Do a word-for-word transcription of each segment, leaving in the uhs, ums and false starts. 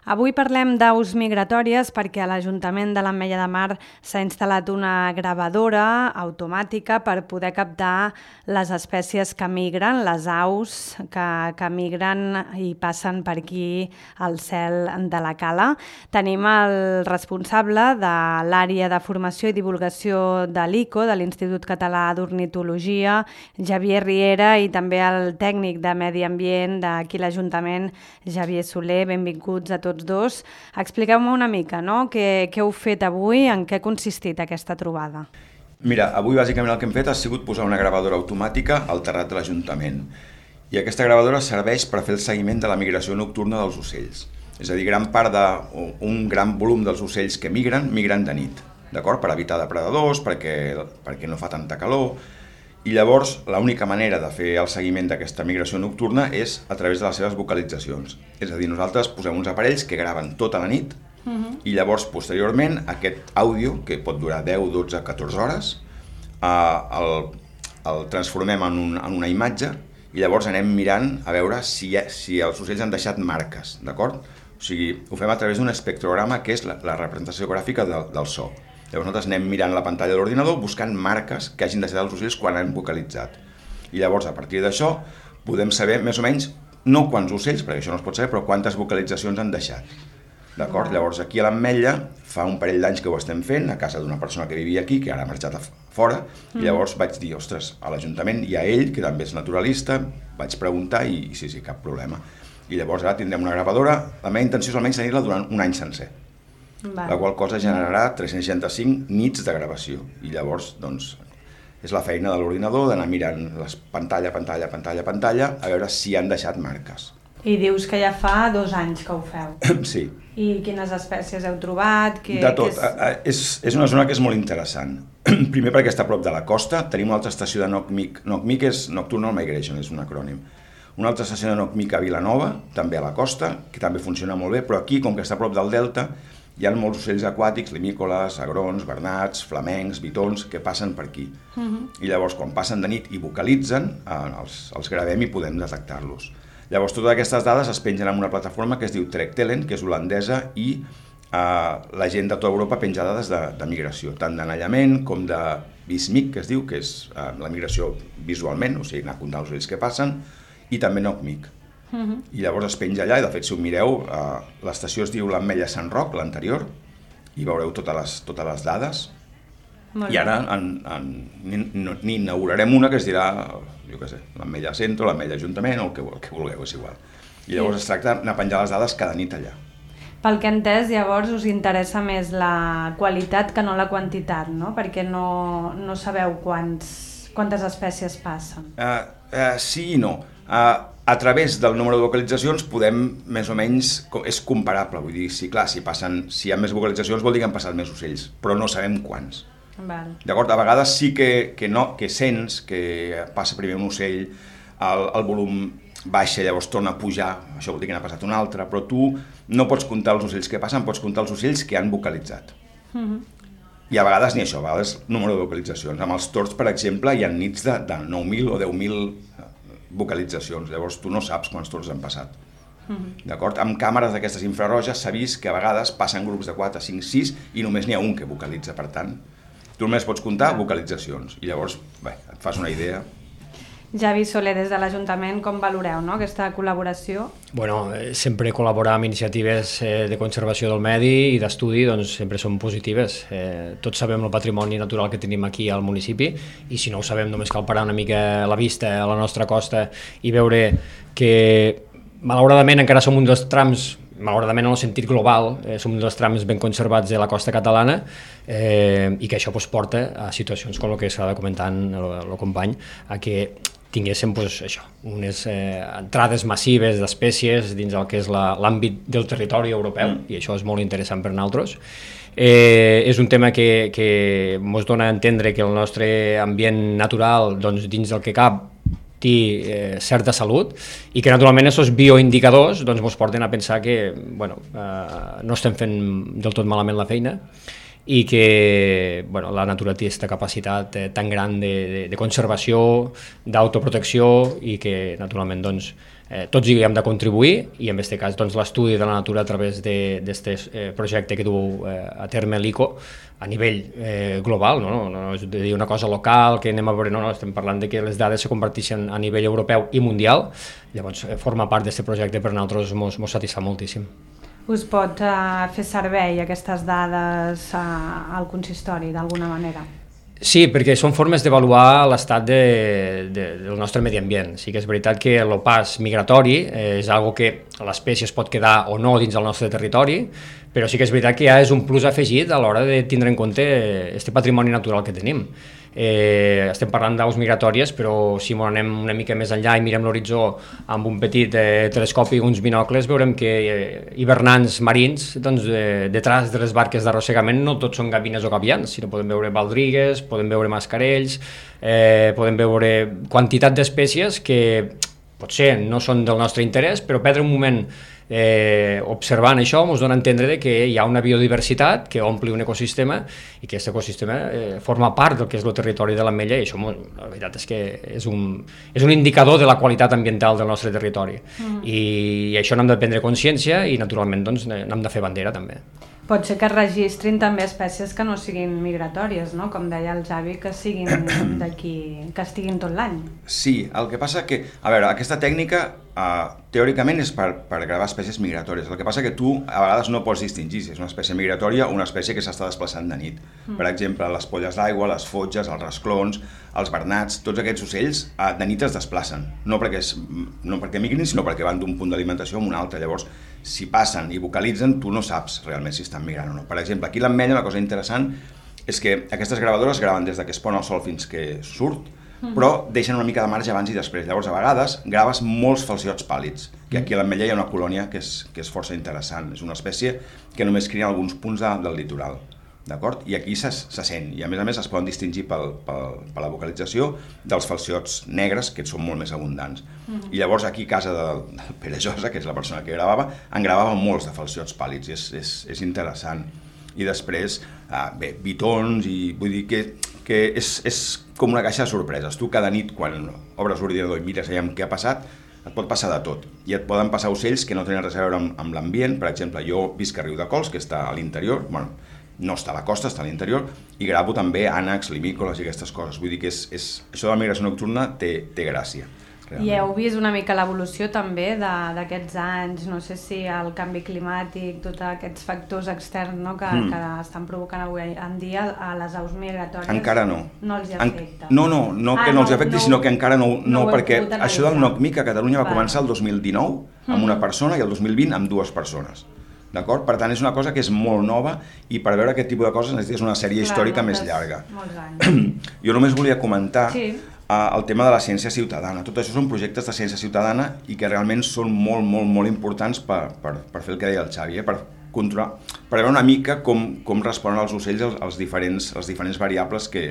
Avui parlem d'aus migratòries perquè a l'Ajuntament de l'Ametlla de Mar s'ha instal·lat una gravadora automàtica per poder captar les espècies que migren, les aus que, que migren i passen per aquí al cel de la Cala. Tenim el responsable de l'àrea de formació i divulgació de l'I C O, de l'Institut Català d'Ornitologia, Javier Riera, i també el tècnic de Medi Ambient d'aquí l'Ajuntament, Javier Soler. Benvinguts a tots dos. Expliqueu-me una mica, no? Què, què heu fet avui, en què ha consistit aquesta trobada? Mira, avui bàsicament el que hem fet ha sigut posar una gravadora automàtica al terrat de l'Ajuntament. I aquesta gravadora serveix per fer el seguiment de la migració nocturna dels ocells. És a dir, gran part d'un gran volum dels ocells que migren, migren de nit, d'acord? Per evitar depredadors, perquè, perquè no fa tanta calor. I llavors l'única manera de fer el seguiment d'aquesta migració nocturna és a través de les seves vocalitzacions. És a dir, nosaltres posem uns aparells que graven tota la nit uh-huh. i llavors posteriorment aquest àudio, que pot durar deu, dotze, catorze hores, eh, el, el transformem en, un, en una imatge i llavors anem mirant a veure si, ha, si els ocells han deixat marques, d'acord? O sigui, ho fem a través d'un espectrograma que és la, la representació gràfica de, del so. Llavors nosaltres anem mirant la pantalla de l'ordinador buscant marques que hagin deixat els ocells quan han vocalitzat. I llavors, a partir d'això, podem saber més o menys, no quants ocells, perquè això no es pot saber, però quantes vocalitzacions han deixat. D'acord? Llavors, aquí a l'Ametlla, fa un parell d'anys que ho estem fent, a casa d'una persona que vivia aquí, que ara ha marxat a fora, mm. i llavors vaig dir, ostres, a l'Ajuntament hi ha ell, que també és naturalista, vaig preguntar i sí, sí, cap problema. I llavors ara tindrem una gravadora, la meva intenció és almenys tenir-la durant un any sencer. Va. La qual cosa generarà tres-cents seixanta-cinc nits de gravació i llavors doncs, és la feina de l'ordinador d'anar mirant les pantalla, pantalla, pantalla, pantalla a veure si han deixat marques. I dius que ja fa dos anys que ho feu. Sí. I quines espècies heu trobat? Que, de tot. Que és... És, és una zona que és molt interessant. Primer perquè està a prop de la costa, tenim una altra estació de Nocmic. Nocmic és Nocturnal Migration, és un acrònim. Una altra estació de Nocmic a Vilanova, també a la costa, que també funciona molt bé, però aquí, com que està a prop del delta, hi ha molts ocells aquàtics, limícoles, agrons, bernats, flamencs, bitons, que passen per aquí. Uh-huh. I llavors, quan passen de nit i vocalitzen, eh, els, els gravem i podem detectar-los. Llavors, totes aquestes dades es pengen en una plataforma que es diu Trekktelen, que és holandesa, i eh, la gent de tota Europa penja dades de, de migració, tant d'anellament com de Vismic, que es diu, que és eh, la migració visualment, o sigui, anar comptant els ocells que passen, i també Nocmic. Uh-huh. I llavors es penja allà, i de fet si ho mireu, eh, l'estació es diu l'Ametlla Sant Roc, l'anterior, i veureu totes les, totes les dades. Molt I ara en, en, n'hi inaugurarem una que es dirà, jo què sé, l'Ametlla Centro, l'Ametlla Ajuntament, o el que, el que vulgueu, és igual. I llavors sí. Es tracta d'anar a penjar les dades cada nit allà. Pel que he entès, llavors us interessa més la qualitat que no la quantitat, no? Perquè no, no sabeu quants, quantes espècies passen. Uh, uh, sí i no. Uh, a través del número de vocalitzacions podem, més o menys, és comparable, vull dir, sí, clar, si, passen, si hi ha més vocalitzacions vol dir que han passat més ocells, però no sabem quants. Val. D'acord? A vegades sí que, que, no, que sents que passa primer un ocell, el, el volum baixa, llavors torna a pujar, això vol dir que n'ha passat un altre, però tu no pots comptar els ocells que passen, pots comptar els ocells que han vocalitzat. Uh-huh. I a vegades ni això, a vegades número de vocalitzacions. Amb els tords, per exemple, hi ha nits de, de nou mil o deu mil vocalitzacions, llavors tu no saps quants torns han passat. Uh-huh. D'acord? Amb càmeres d'aquestes infraroges s'ha vist que a vegades passen grups de quatre, cinc, sis i només n'hi ha un que vocalitza, per tant, tu només pots comptar vocalitzacions i llavors, bé, et fas una idea. Javi Soler, des de l'Ajuntament, com valoreu, no, aquesta col·laboració? Bueno, sempre col·laborar amb iniciatives eh, de conservació del medi i d'estudi doncs, sempre són positives. Eh, tots sabem el patrimoni natural que tenim aquí al municipi i si no ho sabem només cal parar una mica la vista a la nostra costa i veure que malauradament encara som un dels trams, malauradament en el sentit global, eh, som un dels trams ben conservats de la costa catalana eh, i que això pues, porta a situacions com el que s'ha de comentar el company, a que tinguéssim pues, això, unes eh, entrades massives d'espècies dins el que és l'àmbit del territori europeu, mm. i això és molt interessant per nosaltres. Eh, és un tema que, que ens dona a entendre que el nostre ambient natural, doncs, dins del que cap, té eh, certa salut i que naturalment aquests bioindicadors doncs, ens porten a pensar que bueno, eh, no estem fent del tot malament la feina i que bueno, la natura té aquesta capacitat eh, tan gran de, de, de conservació, d'autoprotecció i que naturalment doncs, eh, tots hi hem de contribuir, i en aquest cas doncs, l'estudi de la natura a través d'aquest eh, projecte que du eh, a terme l'ICO a nivell eh, global, no? No, no és de dir una cosa local, que anem a veure, no, no, estem parlant de que les dades se converteixen a nivell europeu i mundial, llavors eh, forma part d'aquest projecte per a nosaltres mos, mos satisfà moltíssim. Us pot uh, fer servei aquestes dades uh, al consistori d'alguna manera? Sí, perquè són formes d'avaluar l'estat de, de, del nostre medi ambient. Sí que és veritat que el pas migratori eh, és algo que l'espècie es pot quedar o no dins del nostre territori, però sí que és veritat que ja és un plus afegit a l'hora de tindre en compte aquest patrimoni natural que tenim. Eh, estem parlant d'aus migratòries, però si m'ho anem una mica més enllà i mirem l'horitzó amb un petit eh, telescopi i uns binocles, veurem que eh, hivernants marins, doncs, eh, detrás de les barques d'arrossegament no tots són gavines o gavians, sinó podem veure baldrigues, podem veure mascarells, eh, podem veure quantitat d'espècies que potser no són del nostre interès, però perdre un moment Eh, observant això ens dona a entendre que hi ha una biodiversitat que ompli un ecosistema i que aquest ecosistema eh, forma part del que és el territori de l'Ametlla, i això la veritat és que és un, és un indicador de la qualitat ambiental del nostre territori. Mm. I, i això n'hem de prendre consciència i naturalment doncs, n'hem de fer bandera també. Pot ser que es registrin també espècies que no siguin migratòries, no? Com deia el Javi, que siguin d'aquí, que estiguin tot l'any. Sí, el que passa que, a veure, aquesta tècnica uh, teòricament és per, per gravar espècies migratòries. El que passa que tu a vegades no pots distingir si és una espècie migratòria o una espècie que s'està desplaçant de nit. Mm. Per exemple, les polles d'aigua, les fotges, els rasclons, els bernats, tots aquests ocells uh, de nit es desplacen. No perquè, és, no perquè migrin, sinó perquè van d'un punt d'alimentació a un altre. Llavors, si passen i vocalitzen, tu no saps realment si estan migrant o no. Per exemple, aquí a l'Ametlla una cosa interessant és que aquestes gravadores graven des que es pon el sol fins que surt, mm. però deixen una mica de marge abans i després. Llavors, a vegades, graves molts falciots pàl·lids, que aquí a l'Ametlla hi ha una colònia que és, que és força interessant. És una espècie que només cria en alguns punts de, del litoral. D'acord? I aquí se, se sent, i a més a més es poden distingir pel, pel, per la vocalització dels falciots negres, que són molt més abundants. Mm-hmm. I llavors aquí a casa del, del Pere Josa, que és la persona que gravava, en gravava molts de falciots pàl·lids, i és, és, és interessant. I després, ah, bé, bitons, i vull dir que, que és, és com una caixa de sorpreses. Tu cada nit, quan obres l'ordinador i mires allà què ha passat, et pot passar de tot. I et poden passar ocells que no tenen res a veure amb, amb l'ambient. Per exemple, jo visc a Riudecols, que està a l'interior, bueno, no està a la costa, està a l'interior, i gravo també ànecs, limícoles i aquestes coses. Vull dir que és, és, això de la migració nocturna té, té gràcia. Realment. I heu vist una mica l'evolució també d'aquests anys, no sé si el canvi climàtic, tots aquests factors externs, no, que, mm. que estan provocant avui en dia a les aus migratòries. Encara no. No els hi afecta. En... No, no, no ah, que no, no els hi afecti, no, sinó que encara no, no, no perquè això del NOCMIC a Catalunya va, va començar el dos mil dinou amb una persona i el dos mil vint amb dues persones. D'acord? Per tant, és una cosa que és molt nova i per veure aquest tipus de coses necessites una sèrie Clar, històrica moltes, més llarga. Molts anys. Jo només volia comentar sí. uh, el tema de la ciència ciutadana. Tot això són projectes de ciència ciutadana i que realment són molt, molt, molt importants per, per, per fer el que deia el Xavi, eh? per, controlar, per veure una mica com, com responen els ocells als, als, diferents, als diferents variables que,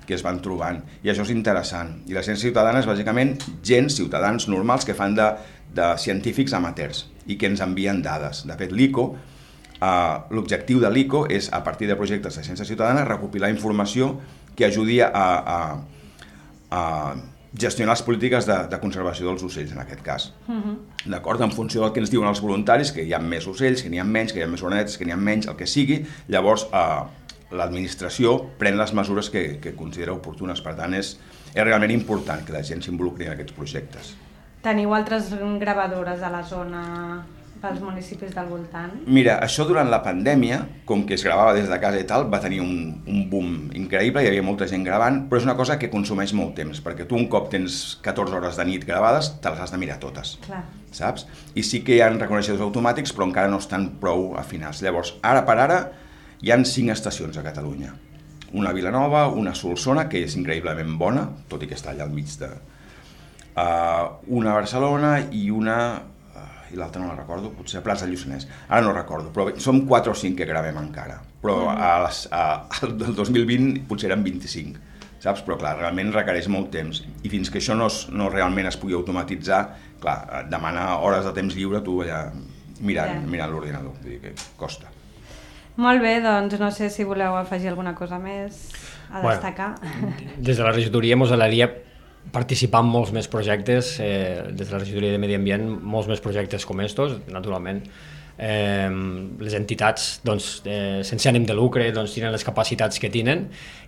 que es van trobant. I això és interessant. I la ciència ciutadana és bàsicament gent, ciutadans normals que fan de, de científics amateurs i que ens envien dades. De fet, l'ICO, eh, l'objectiu de l'ICO és, a partir de projectes de ciència ciutadana, recopilar informació que ajudi a, a, a gestionar les polítiques de, de conservació dels ocells, en aquest cas. Uh-huh. D'acord? En funció del que ens diuen els voluntaris, que hi ha més ocells, que n'hi ha menys, que hi ha més orenetes, que n'hi ha menys, el que sigui, llavors eh, l'administració pren les mesures que, que considera oportunes. Per tant, és, és realment important que la gent s'involucri en aquests projectes. Teniu altres gravadores a la zona pels municipis del voltant? Mira, això durant la pandèmia, com que es gravava des de casa i tal, va tenir un, un boom increïble, hi havia molta gent gravant, però és una cosa que consumeix molt temps, perquè tu un cop tens catorze hores de nit gravades, te les has de mirar totes, Clar. saps? I sí que hi ha reconeixedors automàtics, però encara no estan prou afinats. Llavors, ara per ara, hi ha cinc estacions a Catalunya. Una a Vilanova, una a Solsona, que és increïblement bona, tot i que està allà al mig de... Uh, una a Barcelona i una, uh, i l'altra no la recordo, potser a Prats del Lluçanès, ara no recordo, però som quatre o cinc que gravem encara, però mm. a les, a, al del dos mil vint potser eren vint-i-cinc, saps? Però clar, realment requereix molt temps, i fins que això no, es, no realment es pugui automatitzar, clar, demana hores de temps lliure tu allà mirant, yeah. mirant l'ordinador, vull dir que costa. Molt bé, doncs no sé si voleu afegir alguna cosa més a destacar. Bueno, des de la regidoria mos agradaria participar en molts més projectes, eh, des de la regidoria de Medi Ambient, molts més projectes com estos, naturalment. Eh, les entitats doncs, eh, sense ànim de lucre doncs, tenen les capacitats que tenen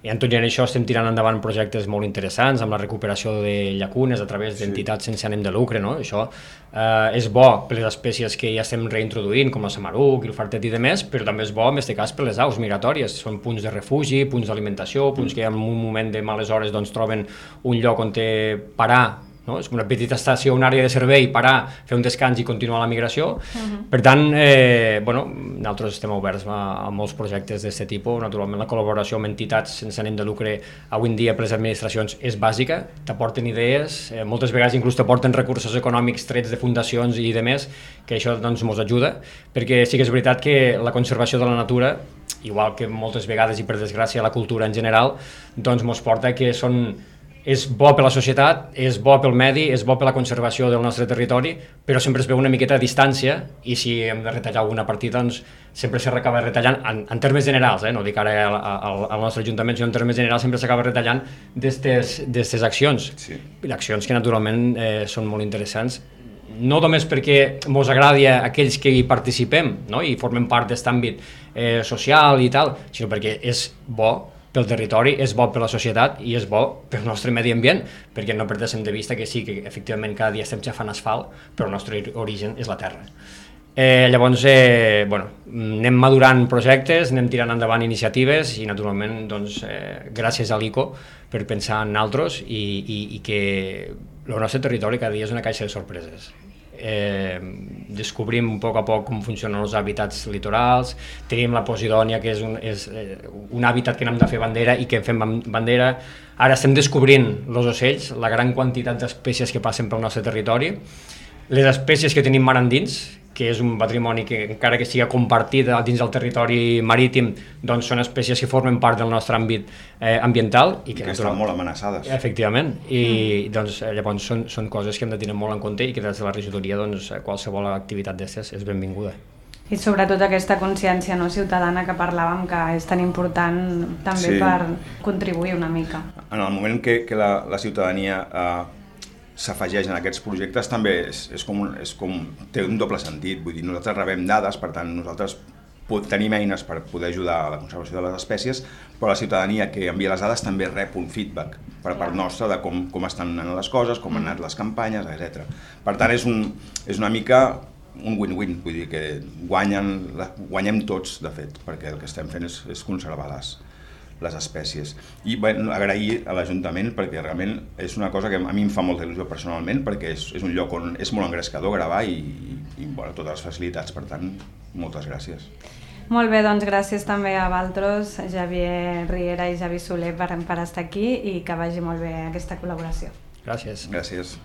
i en tot i en això estem tirant endavant projectes molt interessants amb la recuperació de llacunes a través d'entitats sense ànim de lucre, no? Això eh, és bo per les espècies que ja estem reintroduint com el samaruc, el fartet i demés, però també és bo en aquest cas per les aus migratòries, són punts de refugi, punts d'alimentació, punts que en un moment de males hores doncs, troben un lloc on té parar. No? És una petita estació, una àrea de servei, parar, fer un descans i continuar la migració. Uh-huh. Per tant, eh, bueno, nosaltres estem oberts a, a molts projectes d'aquest tipus. Naturalment, la col·laboració amb entitats sense ànim de lucre avui en dia per les administracions és bàsica, t'aporten idees, eh, moltes vegades inclús t'aporten recursos econòmics trets de fundacions i demés, que això doncs ens ajuda, perquè sí que és veritat que la conservació de la natura, igual que moltes vegades i per desgràcia la cultura en general, doncs ens porta que són és bo per la societat, és bo pel medi, és bo per la conservació del nostre territori, però sempre es veu una miqueta a distància i si hem de retallar alguna partida, doncs sempre s'acaba retallant, en, en termes generals, eh? No dic ara al, al, al nostre ajuntament, sinó en termes generals sempre s'acaba retallant d'aquestes accions. Sí. Accions que naturalment eh, són molt interessants, no només perquè ens agradi a aquells que hi participem, no? I formem part d'aquest àmbit eh, social i tal, sinó perquè és bo pel territori, és bo per la societat i és bo pel nostre medi ambient, perquè no perdéssim de vista que sí, que efectivament cada dia estem xafant asfalt, però el nostre origen és la terra. Eh, llavors, eh, bueno, anem madurant projectes, anem tirant endavant iniciatives i naturalment, doncs, eh, gràcies a l'I C O per pensar en nosaltres i, i, i que el nostre territori cada dia és una caixa de sorpreses. Eh, descobrim a poc a poc com funcionen els hàbitats litorals, tenim la Posidònia, que és un, és, eh, un hàbitat que n'hem de fer bandera i que en fem bandera. Ara estem descobrint els ocells, la gran quantitat d'espècies que passen pel nostre territori, les espècies que tenim mar endins, que és un patrimoni que encara que sigui compartit dins del territori marítim, doncs són espècies que formen part del nostre àmbit eh, ambiental. I que, que estan molt amenaçades. Efectivament, i mm. doncs, llavors són, són coses que hem de tenir molt en compte i que des de la regidoria doncs, qualsevol activitat d'aquestes és benvinguda. I sobretot aquesta consciència no, ciutadana que parlàvem, que és tan important també sí. per contribuir una mica. En el moment que, que la, la ciutadania eh, s'afegeix en aquests projectes també és, és, com, és com, té un doble sentit, vull dir, nosaltres rebem dades, per tant nosaltres tenim eines per poder ajudar a la conservació de les espècies, però la ciutadania que envia les dades també rep un feedback per part nostra de com, com estan anant les coses, com han anat les campanyes, etcètera. Per tant és, un, és una mica un win-win, vull dir que guanyen, guanyem tots de fet, perquè el que estem fent és, és conservar les les espècies. I bueno, agrair a l'Ajuntament perquè realment és una cosa que a mi em fa molta il·lusió personalment perquè és, és un lloc on és molt engrescador gravar i, i, i bueno, totes les facilitats, per tant, moltes gràcies. Molt bé, doncs gràcies també a Valtros, Xavier Riera i Javi Soler per, per estar aquí i que vagi molt bé aquesta col·laboració. Gràcies. Gràcies.